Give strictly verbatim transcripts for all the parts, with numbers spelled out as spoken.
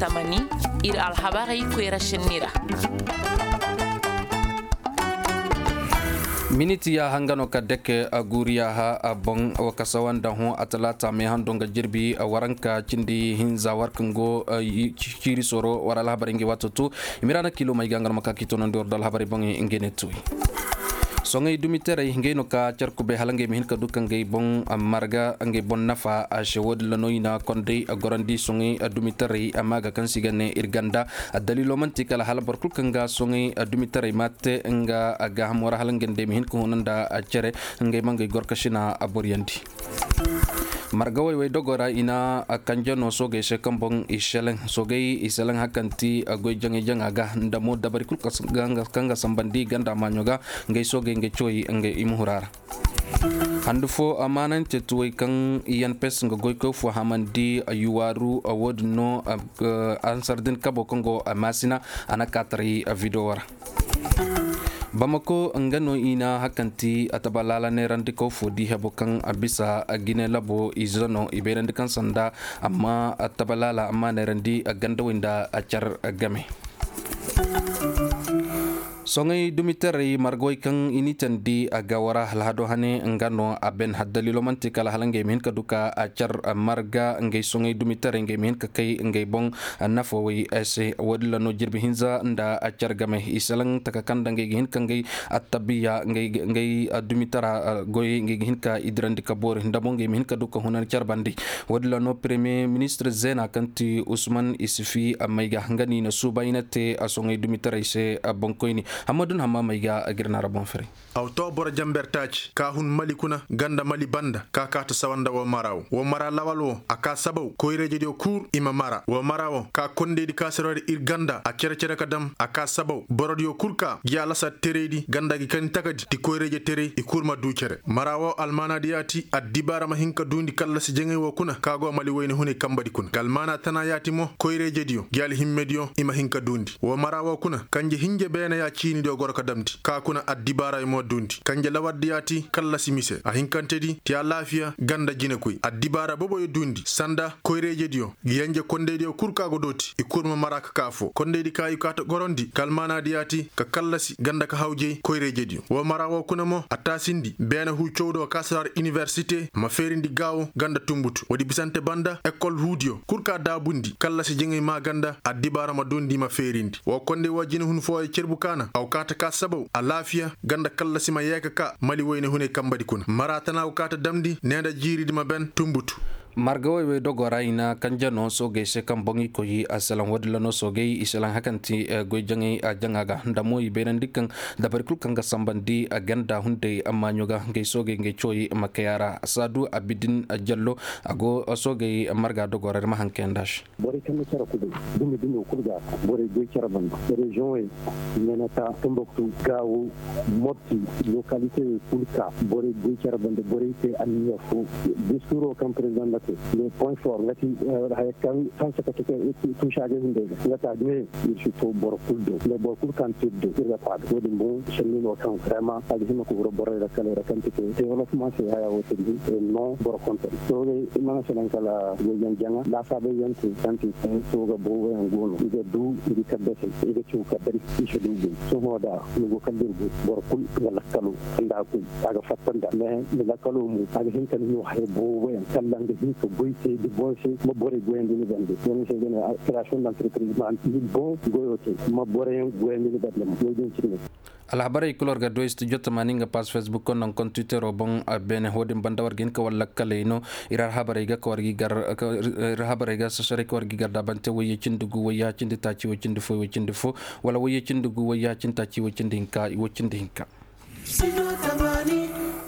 Tamani, ir alhabarey koyra šenni ra. Miniti yaaha nga no ka deke a guuri yaaha a boŋ wa kasa wanda hõ a talaata meehando nga jirbi waranka cindi hinza war kaŋ go ciiri soro war alhabarey ngey waato to. Imiraana kilo may ga nga no ma ka k'i toonandi war do alhabarey boŋey ngey ne tuuy. Soŋey dumitaray ngey no ka car kubay hala ngey ma hin ka du ka ngey boŋ marga ngey boŋ nafa a se wo- din ra no i na konday gorandi soŋey dumitaray maaga kaŋ se i ga ne ir ganda. Daliilo man'ti kala hala boro kulu kaŋ ga soŋey dumitaray ma te nga gaahamo ra hala ngey day ma hin ka huna nda cere ngey ma ngey gorkasina a boryandi. Marga wayway dogo ra i na kanje no soogey se kaŋ boŋ i seleŋ soogey i seleŋ hakanti goy jaŋay jaŋa ga nda mo dabari kulu kaŋ ga sambandi ganda maaɲo ga. Ngey soogey ngey cawey ngey i ma hura ra. Handu fo amaanante tuwey kaŋ i yan pes nga goykoy fo hamandi yuwaaru wo- din no. Ansar din kabo kaŋ go maasina a na kaataray video ra. Bamako nga no i na hakanti a taba laala neerandi kaw fo di hebo kaŋ a bisa a gine labo ize no i bayrandi kaŋ sanda amma a taba laala amma neerandi a gandawey nda a car game. Soŋey dumitaray margawey kaŋ i n'i tandi a ga wara alhado hane nga no a ben haddalilo man'ti kala hala ngey ma hin ka du ka a car marga ngey soŋey dumitaray ngey ma hin ka kay ngey boŋ nafawey se wo- din ra no jirbi hinza nda a car game i salaŋ taka kaŋ nda ngey ga hin ka ngey attabiya ngey dumitara goyey ngey ga hin ka i dirandi ka boori nda mo ngey ma hin ka du ka hunan car bande. Wo- din ra no premier ministir zeena kaŋ ti usman isifi may ga nga no i na suuba i na te a soŋey dumitaray se. Boŋkoyni hammadu na hamma may ga a ga ir naara boŋ firay. Aw to boro jamber taaci ka hun mali kuna ganda mali banda ka kaata sawa nda woo mara woo woo mara lawal woo a ka sabaw koyreejediyo kul i ma mara woo mara woo ka kondaydi ka sirori ir ganda a cere-cere ka dam a ka sabaw borodiyo kul ka gi a lasa tereydi ganda gi kani takadi ti koyreeje terey i kul ma duu cere mara woo almaanaadi yaati addibaara ma hin ka duundi kallasi jaŋay woo kuna ka go mali wayne hunay kambadi kuna nga almaana tana yaati mo koyreejediyo gi alhimmediyo i ma hin ka duundi woo mara woo kuna kanje hinje beene ya ciinidiyo goro ka damndi ka kuna addibaara i mo duundi kanje lawardi yaati kallasi mise a hinkantedi ti alaafiya ganda jinekoy addibaara boboyo duundi sanda koyreejediyo gi yanje kondaydiyo kul ka go dooti i kul ma mara ka ka foo kondaydi ka i kaata gorondi ka almaanaadi yaati ka kallasi ganda ka hawjay koyreejediyo woo mara woo kuna mo a taasindi beene huu cawdo ka saraar iniwersite ma feerindi gaawo ganda tumbutu woodi bisante banda ekol huudiyo kul ka daabundi kallasi jaŋay maa ganda addibaara ma duundi ma feerindi woo konday woo jinehun fooyo cerbu kaana aw kaata ka sabaw alaafiya ganda kallasi ma yeeka ka mali wayne hunay kambadi kuna mara tana go kaata damndi nee nda jiiridi ma ben tumbutu. Marga woy wey dogo ra i na kanje no soogey se kaŋ boŋ i koy a salaŋ woodin ra no soogey i salaŋ hakanti goy jaŋay a jaŋa ga nda mo i bayrandi kaŋ dabari kul kaŋ ga sambandi a ganda hunday amma ɲo ga ngey soogey ngey cooyi ma kay a ra saadu abidin jallo a go soogey marga dogo ra ir ma haŋ kayandi a se. Borey kaŋ na care kubay dumi dumo kul ga borey goy care banda reziyoŋey, meneta, tumbuktu, gaawo, mopti, lokalite wey kul ka borey goy care banda borey te anniya fo. Diskuuro kaŋ perezidaŋ na te le point for nga ti haya kaŋ sansa ka tuka tuusaagay hunday ga nga ta ne ir si to boro kul do le boro kul kaŋ te ir do ir ga faada wo- din boŋ sanni no kaŋ vraiment a ga hima ka huro borey ra kala ra kaŋ ti te development se haya wo te din no boro konton soogey i mana sanaŋ kala goy jaŋ jaŋa laasaabay yaŋ te kaŋ ti te sooga boobo yaŋ go no i ga du i ga kaddasay i ga caw kaddari i si du gay sohõ da ni go kala dir go boro kul nga lakkalo nda a koy a ga fatta nda mais ni lakkalo mo a ga hin ka ni no haya boobo yaŋ kala nga hin ka goy te di boŋ se ma borey goyandi ni bande wani se ga ne création d'entreprise ma ni boŋ goyo te ma borey yaŋ goyandi ni bande mo wo- din cine. Alhabarey kul war ga du studio tamaani nga pass facebook konda nga konda twittero boŋ. Beene wo- din banda war ga hin ka war lakkaley no ir alhabarey ga ka war ga i gar ir alhabarey ga sasaray ka war ga i gar daabante wayye cindi gu wayye cindi taaci way cindi fo way cindi fo wala wayye cindi gu wayye cindi taaci way cindi hinka way cindi hinka.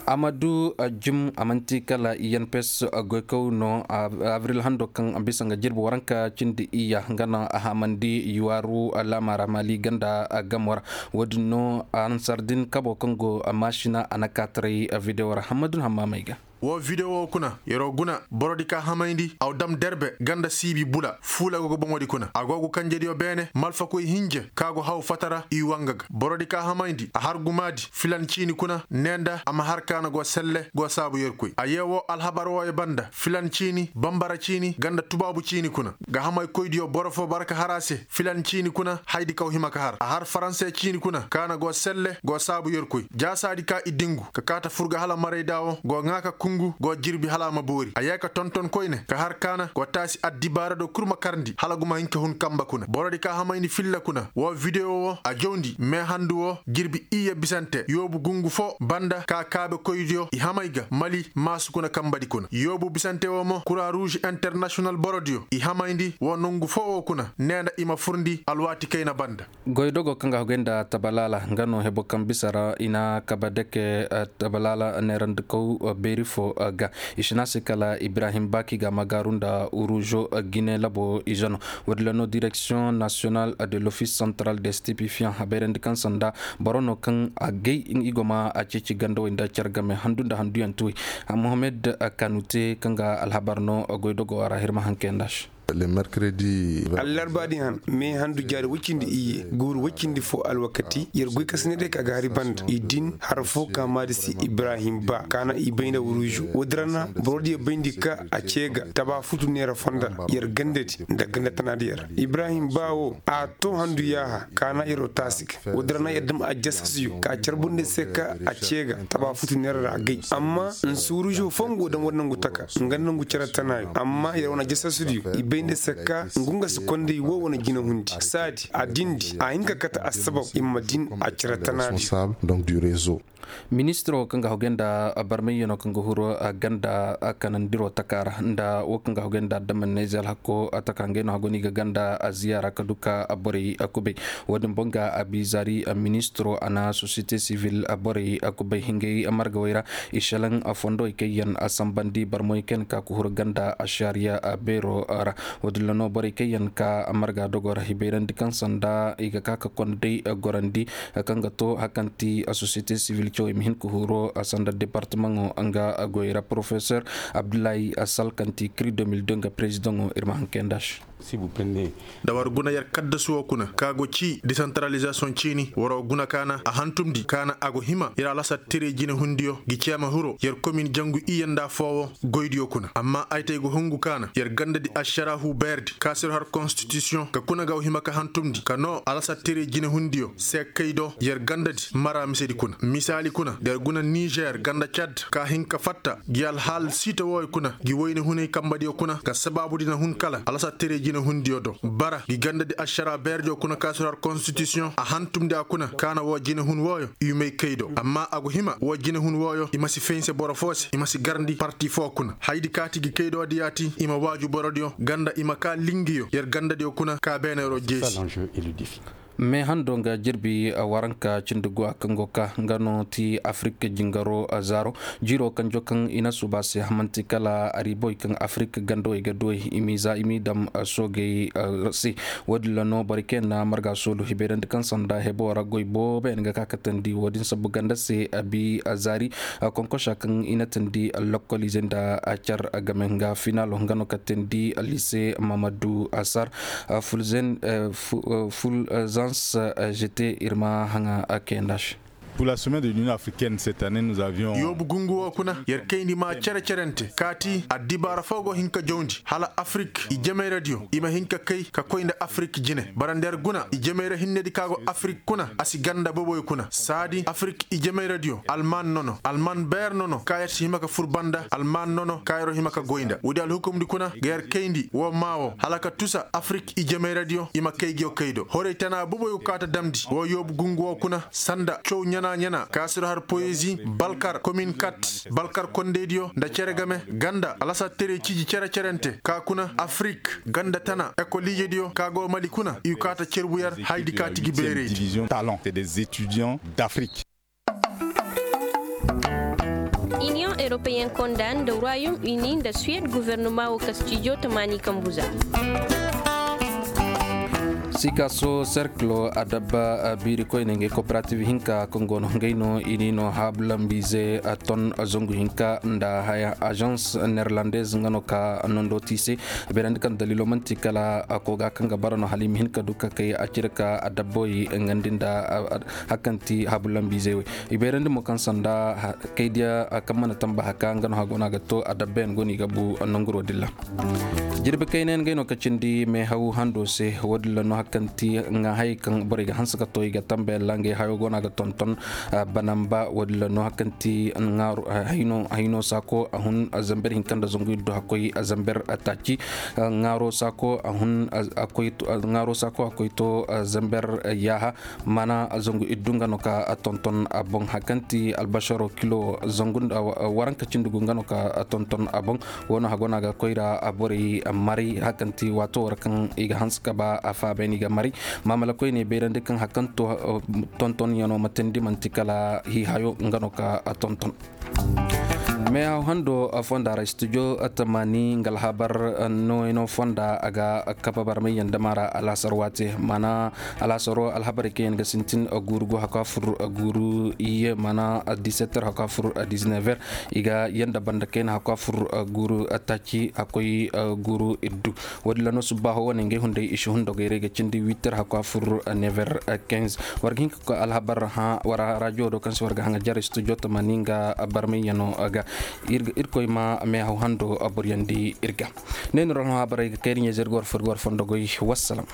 Amadu jim a man'ti kala i yan pes goykaw no abril hando kaŋ bisa nga jirbi waranka cindi iyya nga no a hamandi yuwaaru laama ra maali ganda gamo ra. Wo- din no ansar din kabo kaŋ go maasina a na kaataray videwo ra hammadu na hammaamey ga. Woo videwo kuna yer'o guna borodi ka hamayndi aw dam derbe ganda siibi bula fuula go ga boŋodi kuna a go ga kanjediyo beene malfakoy hinje ka go haw fatara i wanga ga borodi ka hamayndi a har gumaadi filan ciini kuna ne nda a ma har kaana go selle go saabu yerkoy a yee woo alhabar wooyo banda filan ciini bambara ciini ganda tubaabu ciini kuna ga hamay koydiyo boro foo bara ka har a se filan ciini kuna haydi kaw hima ka har a har faranse ciini kuna kaana go selle go saabu yerkoy jaasaadi ka i dingu ka kaata fur ga hala marayda woo go ŋaa ka kungu go jirbi hala a ma boori a yee ka tonton koyne ka har kaana go taasi addibaara do kul ma karndi hala guma hin ka hun kamba kuna borodi ka hamayndi filla kuna woo videwo woo a jawndi meehandu woo jirbi iyye bisante yoobu gungu foo banda ka kaabekoydiyo i hamay ga mali maasu kuna kambadi kuna yoobu bisante woo mo kura ruuž internasiyonal borodiyo i hamayndi woo nongu foo woo kuna nee nda i ma furndi alwaati kayna banda. Goydogo kaŋ ga haguy nda tabalaala nga no hebo kaŋ bisa ra i na kaba deke tabalaala neerandikaw beeri fo ga i si ne a se kala ibrahim baaki ga magaaru nda uruuzo gine labo ize no. Woodin ra no direksiyoŋ nasiyonal de lofis santral de stipifiyaŋ a bayrandi kaŋ sanda boro no kaŋ a gay i go ma a ceeci gandawey nda care game handu nda handuyaŋ tuwey. Mohammed kanute kaŋ ga alhabar no goydogo a ra hirma hankey nda se. Allarba din han me handu jaari woy cindi iyye guuru woy cindi fo alwakati yer goy ka sine day ka ga hari banda i din har fo ka maadi se ibrahim ba ka na i bay nda wuruuzu woodin ra na boro diyo bayndi ka a cee ga taba futu neera fonda ra yer gandadi nda ganda tanaadi yer ibrahim ba wo a to handu yaaha ka na yer'o taasi ga woodin ra na yer dam a jasasiyo ka carbundi se ka a cee ga taba futu neera ra a gay amma nsuurujo fo nga go daŋ war nangu taka nga nangu cere tanaayo amma yer wane jasasidiyo i bay nda se ka ngu nga si konday wo wane jinahundi saadi a dindi a hin ka kate assabab i ma din a cere tanaayo. Ministiro kaŋ ga hogay nda barmayyanoo kaŋ ga huru ganda kanandiroo taka ra nda wo kaŋ ga hogay nda adama neezel hakko taka ngey no hago no i ga ganda ziyaara ka du ka borey kubay. Wo-din boŋ ga a bi zaari ministiro a na sosiyete sivil borey kubay hingay margawey ra i šelaŋ fondowey kaŋ yaŋ a sambandi barmoy kaŋ yaŋ ka ga huru ganda ašariya beero ra. Wo-din ra no borey kaŋ yaŋ ka marga dogo ra i bayrandi kaŋ sanda i ga ka ka konday gorandi kaŋ ga to hari kaŋ ti sosiyete sivil cawey ma hin ka huru sanda departamaŋo nga goy ra porofesor abdullahi sal kaŋ ti kiri deux mille deux nga perezidaŋo ir ma hankay nda se. Da war guna yer kaddasu wo kuna ka go ci desantaralizasiyoŋ ciini war guna ka na a hantumndi ka na a go hima yer alasar tirey jinehundiyo gi ceema hiro yer komin jangu iyye nda foowo goydiyo kuna amma ay te ay go hungu ka na yer gandadi ašaraahu beerdi ka sir har konstitisiyoŋ ka kuna ga wa hima ka hantumndi ka noo alasar tirey jinehundiyo se kay do yer gandadi mara misedi kuna misaali kuna da yer guna nizer ganda cad ka hin ka fatta gi alhaal siita wooyo kuna gi wayne hunay kambadiyo kuna ka sabaabudi na hun kala alasar tirey jinehundiyo do bara gi gandadi ašaraa beerdiyo kuna ka sir har konstitisiyoŋ a hantumndi a kuna ka na woo jinehun wooyo i may kay do amma a go hima woo jinehun wooyo i ma si fense boro foo se i ma si garndi parti foo kuna hayadi kaati gi kaydoodi yaati i ma waaju borodiyo ganda i ma kaa lingiyo yer gandadiyo kuna ka beeneeroo jeesi. Mee hando nga jirbi waranka cindi guwa kaŋ go ka nga no ti afirik jingaro zaaro jiiroo kanjo kaŋ i na suuba se hamanti kala ariboy kaŋ afirik gandawey ga duwey i m'i za i m'i dam soogey se. Woodin ra no borey kaŋ yaŋ na marga soolu hibayrandi kaŋ sanda heboo ra goy boobo yaŋ ga ka katandi woodin sabbu ganda se a bi a zaari konkosa kaŋ i na tandi lokoliizey nda a car game nga finaalo nga no katandi liise mamadu asar fulzens jete ir ma haŋa kayanda se. Yoobu gungu woo kuna yer kayndi maa cere-cerente kaati addibaara foo go hin ka jawndi hala afirik ijemayradiyo i ma hin ka kay ka koy nda afirik jine bara nda yer guna ijemeyra hinnedi ka go afirik kuna a si ganda boboyo kuna saadi afirik ijemayradiyo alman nono alman beer nono ka yer si hima ka fur banda alman nono ka yeroo hima ka goy nda woodi alhukumdi kuna ga yer kayndi woo maa woo hala ka tusa afirik ijemayradiyo i ma kay ngiyo kay do horey tana boboyo kaata damndi woo yoobu gungu woo kuna sanda caw ɲana-ɲana ka sir har poyezi balkar komin kat balkar kondeydiyo nda cere game ganda alasar terey ciji cere-cerente ka kuna afirik ganda tana ekoliijediyo ka go mali kuna i kaata cerbu yer hayadi kaati gi beerey. Iniyoŋ eropeyen konda nda royom uni nda suwed gofornoma woo kastijo tamaani kambu za. Sikaaso serkilo adabba biiri koyne ngey kooperativ hinka kaŋ go no ngey no i ni no haabulambiize ton zangu hinka nda haya agence neerlandez nga no ka nondo ti i se. Beerandi kaŋ daliilo man'ti kala koga kaŋ ga bara no hala i ma hin ka du ka kay a cire ka adabboy ngandi nda hakanti haabulambiize wey. I beerandi mo kaŋ sanda kaydiya kaŋ mana tamba haka nga no hago no a ga to adabbayaŋ go no i ga bu nanguro din ra. Jirbi kaynayaŋ gay no ka cindi meehaw hando se. Woodin ra no hakanti nga hayey kaŋ borey ga hanse ka to i ga tambayaŋ ra ngey hayo go no a ga tonton. Banamba woodin ra no hakanti hayno saako a hun zamber hinka nda zangu iddu hakkoy zamber taaci. Ŋaaro saako a koy to zamber yaaha. Maana zangu iddu nga no ka tonton a boŋ hakanti albasaro kilo zangu waranka cindi gu nga no ka tonton a boŋ. Wo no hago no a ga koy ra borey maray hakanti waato war kaŋ i ga hanse ka ba a faabayni ga maray. Maamala koyne bayrandi kaŋ hakanto tonton yano matandi man'ti kala hiihayo nga no ka tonton. Meehaw hando fonda ra studio tamaani nga alhabar nooyano fonda a ga kabe barmay yaŋ dama ra alhasar waate maana alhasaro alhabarey kaŋ yaŋ ga sintin guuru gu hakwa fur guuru iyye maana disetter hakwa fur dizinever. I ga yaŋ da banda kayna hakwa fur guuru taaci hakkoy guuru iddu. Woodin ra no subbaaho wane ngey hunday i si hun dogey ra i ga cindi witter hakwa fur never. War ga hin ka koy alhabar hã war raajiyo do kaŋ se war ga haŋa jare studio tamaani nga barmay yaŋo ga. Irkoy ma meehaw hando boryandi ir ga. Ne ni ra no habarey ga kayri ɲeeze ir ga war fur ga war fondo goy. Wassalam.